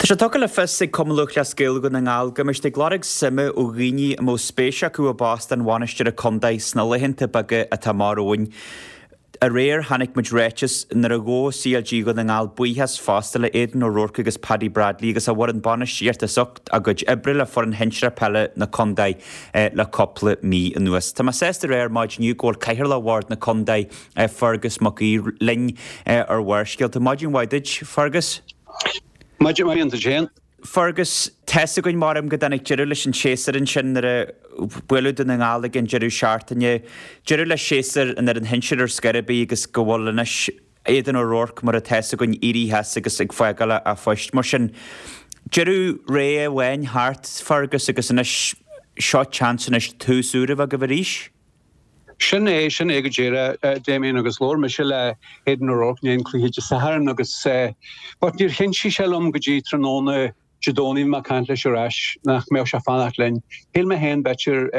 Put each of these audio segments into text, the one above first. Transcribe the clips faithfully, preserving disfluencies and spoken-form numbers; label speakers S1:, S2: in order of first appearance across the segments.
S1: Tá sé tugtha le fios ag Cumann Lúthchleas Gael Dhún na nGall go mbeidh siad ag lorg suime ó dhaoine a mbeadh spéis acu i bpost an bhainisteora contae sna laethanta beaga atá amach romhainn. Aréir chonaic muid ráiteas nuair a ghabh C L G Dhún na nGall buíochas fosta le Aidan O'Rourke agus Paddy Bradley agus a bhfoireann bainistíochta as ucht a gcuid oibre le foireann shinsearach peile na contae le cúpla mí anuas. Tá mé sásta a rá ar maidin inniu go bhfuil Cathaoirleach Bhord na Contae, Fergus Mac Aoidh, linn ar Bharrscéalta. Maidin mhaith duit, Fergus.
S2: Maidin mhaith duit féin.
S1: Fergus, tá's againn maram go dtáinig deireadh leis an séasúr ansin nuair a buaileadh Dún na nGall ag an deireadh seachtaine. Deireadh le séasúr an fhoireann shinsir ar scor ar bith agus go bhfuil anois Aidan O'Rourke, mar atá's againn, éirithe as agus ag fágáil a phoist. Mar sin, deireadh ré amháin thart, Fergus, agus anois seo chance anois tús úr a bheith agaibh arís.
S2: Sin é, sin é go díreach, Damien, agus labhair mise le Aidan O'Rourke i ndiaidh an cluiche Dé Sathairn agus but níor chinntigh sé liom go dtí tráthnóna Dé Domhnaigh, bhí mé ag caint leis ar ais, nach mbeadh sé fanacht linn. Shíl mé féin b'fhéidir,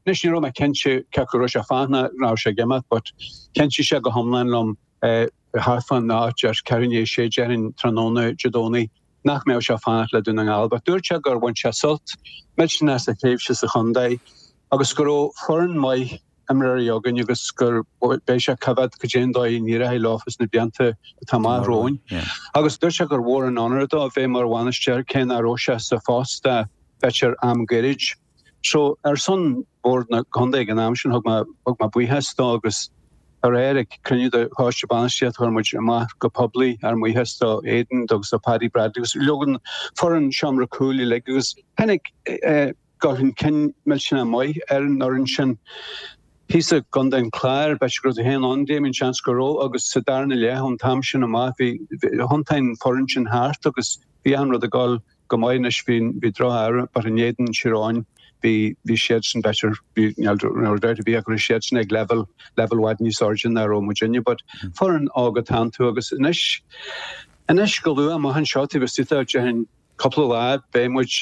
S2: anois ní raibh mé cinnte cé acu raibh sé fanacht nó raibh sé ag imeacht but chinntigh sé go hiomlán liom thart fán áit ar ceathrú i ndiaidh a sé déarfainn tráthnóna Dé Domhnaigh nach mbeadh sé fanacht le Dún na nGall. But dúirt sé gur bhain sé sult millteanach as a thréimhse sa chontae agus go raibh foireann maith imreoirí againn agus gur beidh sé coimhéad go dtí an dóigh a n-éireoidh leofa sna blianta atá amach romhainn. Agus dúirt sé gur mhór an onóir dó a bheith mar bhainisteoir cé nach raibh sé sa phost b'fhéidir am gairid. So ar son Bhord na Contae ag an am sin thug mé thug mé buíochas dó agus aréir ag cruinniú de choiste bainistíochta chuir muid amach go poiblí ár mbuíochas do Aidan agus do Paddy Bradley agus leogan foireann seomra cúil uilig agus tháinig dul chun cinn millteanach maith ar an fhoireann sin. Thíos i gContae an Chláir, b'fhéidir go raibh tú féin ann, Damien, seans go raibh, agus sa darna leath ón t-am sin amach bhí thiontaigh an foireann sin thart agus bhí achan rud ag dul go maith anois. Bhí bhí droch-ádh but in éadan Tír Eoghain bhí bhí siadsan b'fhéidir bhí níl dabht ar bith ach go raibh siadsan ag level level i bhfad níos airde ná raibh muidinne but foireann óg atá iontu agus anois anois go luath amach anseo taobh istigh de déarfainn cúpla lá beidh muid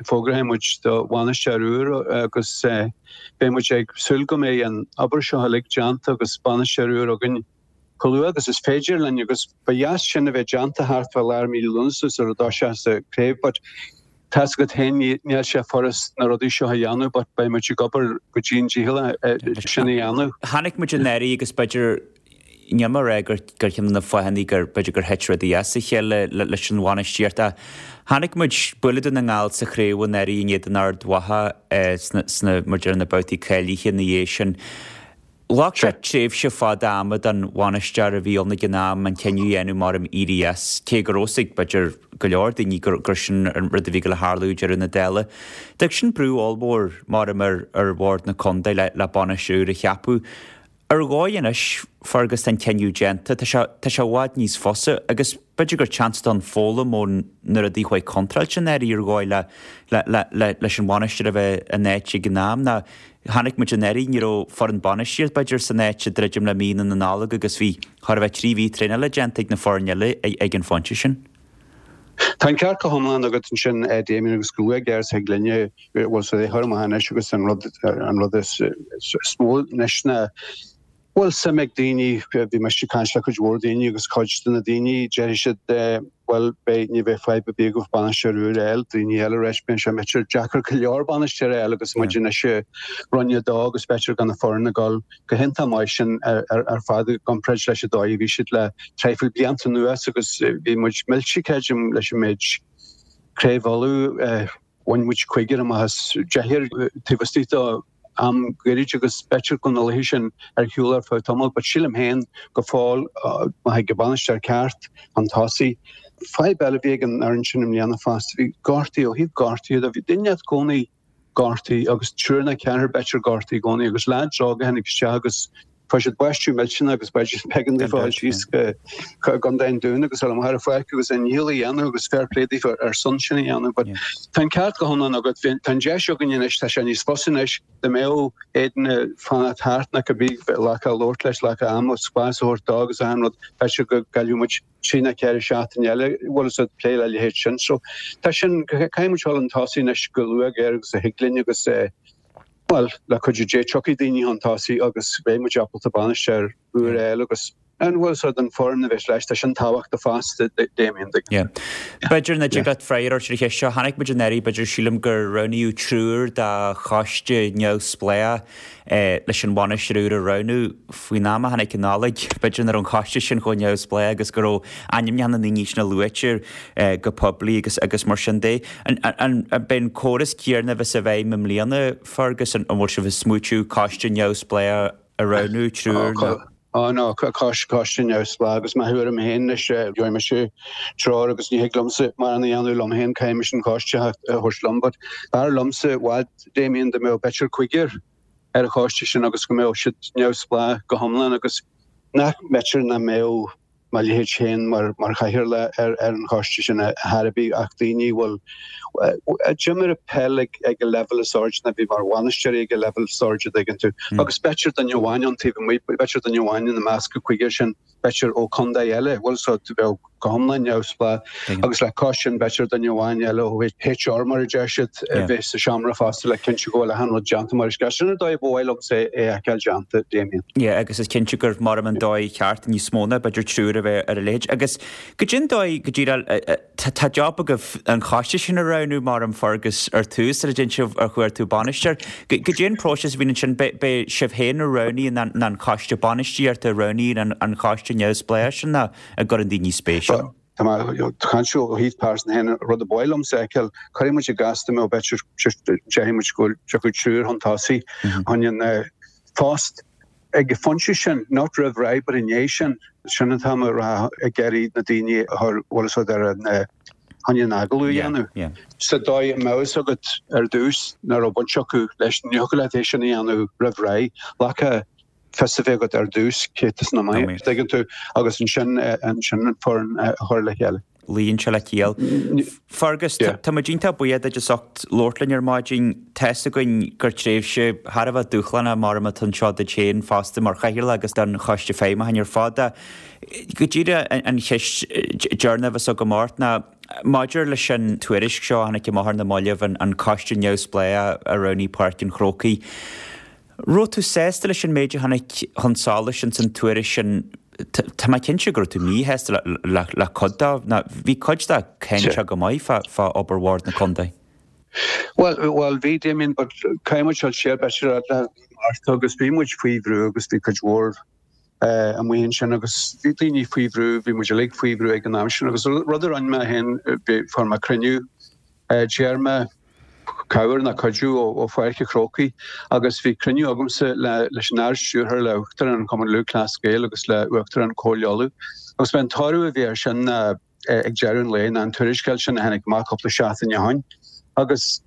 S2: fógróidh muid do bhainisteoir úr agus beidh muid ag súil go mbeidh an obair seo uilig déanta agus bainisteoir úr againn chomh luath agus is féidir linn agus ba dheas sin a bheith déanta thart fá lár mí Lúnasa sar a dtoiseos an craobh but tá's agat féin níl sé furast na rudaí seo a dhéanamh but beidh muid ag obair go dian dícheallach sin a dhéanamh.
S1: Chonaic muid anuraidh agus b'fhéidir níl mé ag rá gur gur cheann de na fáthanna gur b'fhéidir gur thit rudaí as a chéile leis an bhainistíocht ach chonaic muid bualadh Dún na nGall sa chraobh anuraidh in éadan Ard Mhacha sna sna mar deir na babhtaí cáilithe ina dhiaidh sin. Ghlac sé tréimhse fada ama don bhainisteoir a bhí ann ag an am an cinneadh a dhéanamh mar am éirí as, cé go raibh a fhios ag b'fhéidir go leor daoine gur gur sin an rud a bhí le tarlú deireadh na dála. D'fhág sin brú ollmhór mar am ar ar bhord na contae le le bainisteoir a cheapadh. Ar dhóigh anois, Fergus, tá an cinneadh déanta, tá sé tá sé i bhfad níos fusa agus b'fhéidir gur chance don foghlaim ó na rudaí a chuaigh contráilte anuraidh ar dhóigh le le le le leis an bhainisteoir a bheith in áit ag an am ná chonaic muid anuraidh ní raibh foireann bainistíocht b'fhéidir san áit ag druidim le mí na Nollag agus bhí chóir a bheith trí mhí traenála déanta ag na foirne eile ag an phointe sin.
S2: Tá an ceart go hiomlán agat ansin, Damien, agus go luath géar sa ghlinne bhfuil sé chur amach anois agus an rud an rud is is mó anois ná bhfuil suim ag daoine. Bhí mise ag caint le cuid mhór daoine agus cuid de na daoine déarfaidh siad, bhuel, beidh ní bheidh fadhb ar bith agaibh bainisteoir úr a fháil. Daoine eile arís, bíonn sé b'fhéidir deacair go leor bainisteoir a fháil agus muid anois i Roinn a dó agus b'fhéidir gan na foirne ag dul go hiontach maith sin ar fad i gcomparáid leis an dóigh a bhí siad le traidhfil blianta anuas agus bhí muid millte, creidim, leis an méid Craobh Uladh. Bhain muid cúigear amach as deichniúr taobh istigh de am gairid agus b'fhéidir go na laethe sin ar shiúl ar feadh tamaill but sílim féin go fóill má thig an bainisteoir ceart chun tosaigh. Fadhb eile a bhí ag an fhoireann sin i mbliana fosta, bhí gortaithe, ó thaobh gortaithe de, bhí duine i gcónaí gortaithe agus triúr nó ceathrar b'fhéidir gortaithe i gcónaí agus leaids óga a tháinig isteach agus fuair siad baisteadh millteanach agus b'fhéidir b'éigean daofa dul síos go Contae an Dúin agus dul amach ar an pháirc agus a ndícheall a dhéanamh agus fair play daofa ar son sin a dhéanamh. But tá an ceart go hiomlán agat, tá an deis againn anois, tá sé níos fusa anois dá mbeadh Aidan ag fanacht thart nó cibé glacadh a labhairt leis, glacadh ama, spás a thabhairt dó agus achan rud, b'fhéidir go gcaillfeadh muid trí nó ceithre seachtaine eile, bhfuil fhios agat, plé le leithéid sin. So tá sin, caithfidh muid dul chun tosaigh anois go luath géar agus a thig linn agus bhuel, le cuidiú Dé tiocfaidh daoine chun tosaigh agus beidh muid ábalta bainisteoir úr a fháil agus An bhfuil so den foireann a bheas leis, tá sin tábhachtach fosta, Damien.
S1: B'fhéidir nach dtig leat freagra a thabhairt ar an cheist seo, chonaic muid anuraidh, b'fhéidir sílim gur roghnaíodh triúr de choiste neamhspleách leis an bhainisteoir úr a roghnú faoin am a tháinig an Nollaig. B'fhéidir nach raibh an coiste sin chomh neamhspleách agus go raibh ainmneacha na ndaoine sin luaite go poiblí agus agus mar sin de. An beidh an córas céanna a bheas i bhfeidhm i mbliana, Fergus, an bhfuil sibh ag smaoitiú coiste neamhspleách a roghnú triúr nó?
S2: Á no, coiste neamhspleách agus mo thuairim féin anois, gheobhaidh mise treoir agus ní thig liomsa mórán a dhéanamh liom féin, caithfidh mise an coiste a thabhairt liom, but b'fhearr liomsa i bhfad, Damien, dá mbeadh b'fhéidir cúigear ar an choiste sin agus go mbeadh siad neamhspleách go hiomlán agus nach mb'fhéidir nach mbeadh mo leithéid féin mar mar chathaoirleach ar ar an choiste sin ar chor ar bith ach daoine a bhfuil a d'imir peil ag ag an leibhéal is airde nó a bhí mar bhainisteoirí ag an leibhéal is airde dtuigeann tú agus b'fhéidir duine amháin ón taobh amuigh b'fhéidir duine amháin ina measc an cúigear sin b'fhéidir ó chontae eile bhfuil so a bheadh go hiomlán neamhspleách agus le cois sin b'fhéidir duine amháin eile ó HR mar a deir siad a bheith sa seomra fosta le cinntiú go bhfuil achan rud déanta mar is gá. Sin an dóigh ba mhaith liomsa é a fheiceáil déanta, Damien.
S1: Yeah, agus is cinnte gur mar an dóigh cheart níos mó ná b'fhéidir triúr a bheith ar a leithéid. Agus goidé an dóigh go díreach tá job agaibh an choiste sin a roghnú mar an Fergus ar tús ar a dtéann sibh ar chuartú bainisteoir. Goidé an próiseas a bhíonn ansin beidh sibh féin a roghnaíonn an an choiste bainistíochta a roghnaíonn an choiste neamhspleách sin ná a gcuireann daoine spéis ann.
S2: Tá mé ag caint ó thaobh pearsan féin, rud a ba mhaith liomsa a fheiceáil, cuirfidh muid i gcás dá mbeadh b'fhéidir déarfaidh muid go dtiocfadh triúr chun tosaigh chun an phost ag an phointe sin, not roimh ré but i ndiaidh sin, sin atá mé a rá ag iarraidh na daoine a chur, bhfuil fhios agat, ar an chun an agallamh a dhéanamh. Sa dóigh a mbeadh fhios agat ar dtús nach raibh baint acu leis, ní thiocfadh leat é sin a dhéanamh roimh ré. Ghlacfá fios a bheith agat ar dtús cé atá sna maith, dtuigeann tú, agus ansin ansin an foireann a chur le chéile.
S1: Luíonn sé le ciall. Fergus, tá muid iontach buíoch duit as ucht labhairt linn ar maidin. Tá's againn gur tréimhse thar a bheith dúshlánach mar atá anseo duit féin fosta mar chathaoirleach agus don choiste feidhmiúcháin ar fad. Go díreach an cheist deireanach a bheas agam ort ná maidir leis an tuairisc seo a tháinig amach ar na mallaibh, an coiste neamhspleách a roghnaigh Páirc an Chrócaigh. Raibh tú sásta leis an méid a tháinig chun solais ins an tuairisc sin? Tá mé cinnte go raibh tú míshásta le cuid de, nó bhí cuid de cáinteach go maith fá obair Bhord na Contae.
S2: Bhuel, bhuel, bhí, Damien, but caithfidh muid dul siar b'fhéidir le Márta agus bhí muid faoi bhrú agus bhí cuid mhór amuigh ansin agus bhí daoine faoi bhrú, bhí muid uilig faoi bhrú ag an am sin agus rud a rinne mé féin, fuair mé cruinniú, d'iarr mé cabhair nó cuidiú ó Pháirc an Chrócaigh agus bhí cruinniú agamsa leis an Ard-Stiúrthóir, le Uachtarán an Chumann Lúthchleas Gael agus le Uachtarán Chomhairle Uladh agus b'é an toradh a bhí air sin ná ag deireadh an lae ná an tuarascáil sin a tháinig amach cúpla seachtain ó shin agus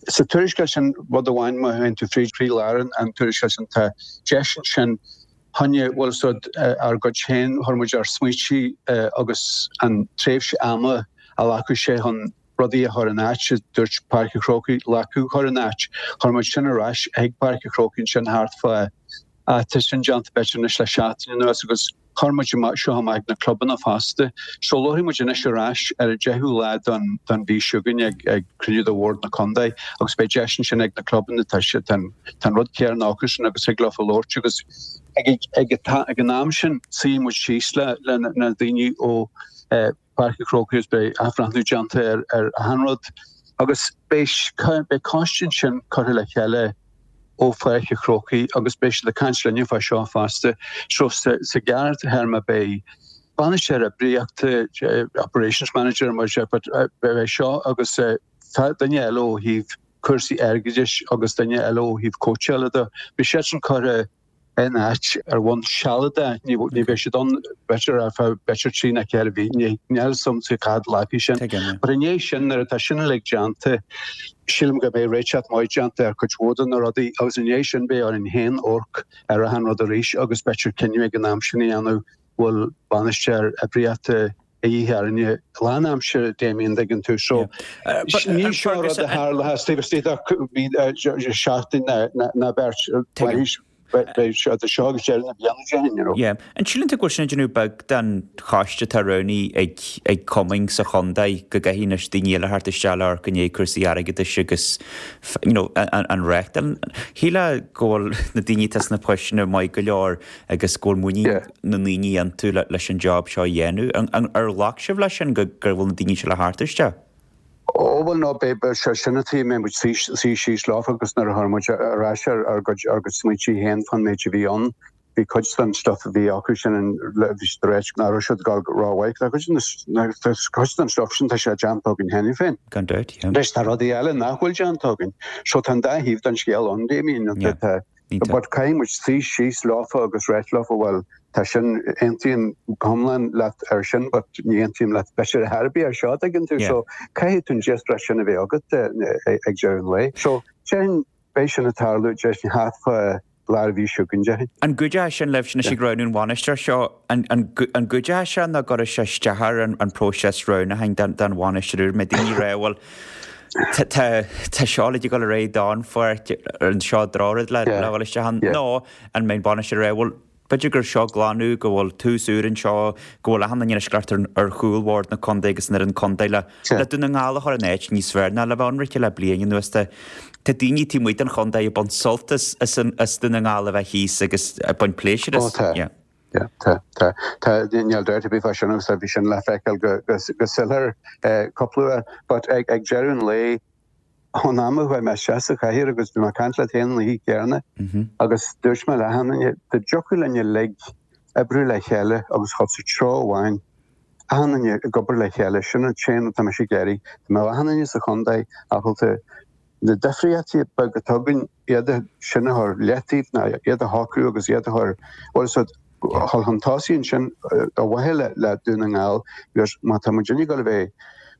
S2: sa tuarascáil sin rud amháin má théann tú fríd chroílár an tuarascáil sin tá deis ansin choinne bhfuil fhios agat ár gcuid féin chuir muid ár smaointe agus an tréimhse ama a ghlacfadh sé chun rudaí a chur in áit, a dúirt Páirc an Chrócaigh, ghlacadh a chur in áit. Chuir muid sin ar ais chuig Páirc an Chrócaigh ansin thart fá, tá sin déanta b'fhéidir anois le seachtain anuas agus chuir muid seo amach ag na clubanna fosta. So labharfaidh muid anois ar ais ar an deichiú lá den den mhí seo chugainn ag ag cruinniú de Bhord na Contae agus beidh deis ansin ag na clubanna tá sé tá an rud céanna acusan agus thig leofa labhairt agus ag ag ag an am sin suífidh muid síos le le na daoine ó Páirc an Chrócaigh agus beidh athbhreithniú déanta ar ar achan rud agus beidh beidh coiste ansin curtha le chéile ó Pháirc an Chrócaigh agus beidh siad ag caint linne fá seo fosta. So sa sa ghearrthéarma beidh bainisteoir oibríochta, operations manager mar sin, but beidh seo agus duine eile ó thaobh cúrsaí airgeadais agus duine eile ó thaobh cóitseála de. Beidh siadsan curtha in áit ar bhonn sealadach, ní bheidh siad ann b'fhéidir ar feadh b'fhéidir trí nó ceithre mhí, níl fhios a'msa cá fhad a ghlacfaidh sin. But i ndiaidh sin, nuair atá sin uilig déanta, sílim go mbeidh réiteach maith déanta ar chuid mhór de na rudaí agus i ndiaidh sin beidh orainn féin amharc ar achan rud arís agus b'fhéidir cinneadh ag an am sin a dhéanamh bhfuil bainisteoir oibríochta a dhíth orainne lánaimseartha, Damien, dtuigeann tú. So, ní seo rud a tharlós taobh istigh de seachtain ná beirt. Beidh seo seo agus deireadh na bliana déarfainn, you know.
S1: Yeah. An síleann tú go bhfuil sin ag déanamh beag den choiste atá roghnaithe ag ag cumainn sa chontae go gcaithfidh anois daoine eile theacht isteach le amharc i ndiaidh cúrsaí airgeadais agus you know, an, an reachtáil. Shílfeá go bhfuil na daoine atá sna poisteanna maith go leor agus go bhfuil muinín
S2: Yeah.
S1: na ndaoine iontu le, leis an job seo a dhéanamh. An, an, ar ghlac sibh leis sin go, gur bhfuil na daoine seo le theacht isteach?
S2: Ó bhuel no be sé sin tí mé muid sí síos leofa agus nuair a chuir muid ar ais ar ár gcuid ár gcuid smaointe féin fan méid a bhí ann. Bhí cuid den stuff a bhí acu sin an bhí siad réit nach raibh siad ag gabháil rómhaith. Tá cuid den tá cuid den stuff sin tá sé déanta againn cheana féin.
S1: Gan dabht, yeah.
S2: Leis tá rudaí eile nach bhfuil déanta againn. So tá an dá thaobh den scéal ann Damien
S1: Yeah.
S2: tá
S1: Iontach.
S2: But caithfidh muid suí síos leofa agus ráit leofa bhuel tá sin aontaím go hiomlán leat ar sin, but ní aontaím leat b'fhéidir ar bith ar seo tuigeann tú
S1: Yeah.
S2: so caithfidh tú an díospóireacht sin a bheith agat eh, ag deireadh an lae. So déarfainn beidh sin ag tarlú déarfainn thart fá lár mhí seo chugainn déarfainn.
S1: An gcuideoidh sin libh sin ag roghnú an bhainisteoir seo an, an, an gcuideoidh sé nó gcuirfidh sé isteach ar an, an próiseas roghnúcháin den, den bhainisteoir úr mé daoine rá bhfuil tá tá seo le dul ar aghaidh don pháirc an seo drochrud le
S2: Yeah.
S1: le bhfuil isteach ann
S2: Yeah.
S1: nó an mbeidh bainisteoir rá bhfuil b'fhéidir gur seo glanadh go bhfuil tús úr anseo go bhfuil achan duine ag ar ar chúl bhord na contae agus ar an contae le
S2: Yeah.
S1: le Dún na nGall a chur in áit níos fearr ná le bheith ionraice le bliain anuas tá Tá daoine taobh amuigh den chontae ag baint sult as as an as Dún na nGall a bheith thíos agus ag baint pléisiúr
S2: Ó
S1: as.
S2: tá.
S1: Yeah.
S2: Yeah, tá tá tá níl dabht ar bith fá sin agus bhí sin le feiceáil go go go soiléir eh, cúpla uair, but ag ag deireadh an lae ón am a chuaigh mé isteach sa chathaoir agus bhí mé ag caint leat féin an oíche chéanna
S1: Mhm.
S2: agus dúirt mé le achan duine dá dtiocfadh linn uilig oibriú le chéile agus chun sa treo amháin achan duine ag obair le chéile sin an t-aon atá mise ag iarraidh Tá mé achan duine sa chontae ábalta na difríochtaí beag atá againn iad sin a chur leataobh ná iad a shocrú agus iad a chur bhuel so chun chun tosaigh sin a mhaithe le le Dún na nGall because má tá muid ag gabháil a bheith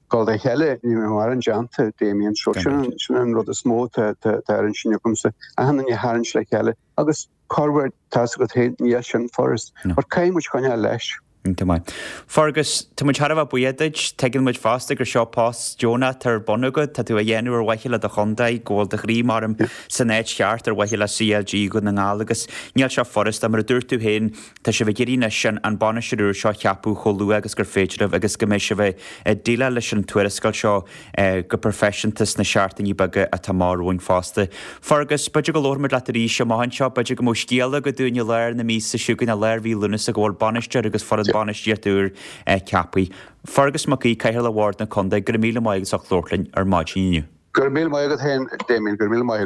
S2: gabháil le chéile ní mar an déanta Damien so
S1: Gan
S2: sin
S1: dabht.
S2: an- sin an rud is mó tá tá tá ar an sin agamsa achan duine a tharraingt le chéile agus corruair tá go héin níl sin furast
S1: No.
S2: But caithfidh muid coinneáil leis.
S1: Iontach maith. Fergus, tá muid thar a bheith buíoch duit, tuigeann muid fosta gur seo post deonach ar bun agat, tá tú á dhéanamh ar mhaithe le do chontae, go bhfuil do chroí mar san áit cheart ar mhaithe le CLG Dhún na nGall agus níl seo furast mar a dúirt tú féin tá sibh ag iarraidh sin an bainisteoir úr seo a cheapadh chomh luath agus gur féidir libh agus go mbeidh sibh ag déileáil leis an tuarascáil seo eh, go proifisiúnta sna seachtainí beaga atá amach romhainn fosta. Fergus, b'fhéidir go labhróimid leat arís amach anseo, b'fhéidir go mbeidh scéala agat dúinn i lár na míosa seo chugainn i lár mhí Lúnasa go bhfuil bainisteoir agus foireann bainistíochta úr eh, ceaptha. Fergus Mac Aoidh Cathaoirleach Bhord na Contae, go raibh míle maith agat as labhairt linn ar maidin inniu.
S2: Gur mí maigad héin Damien gur mí maigad.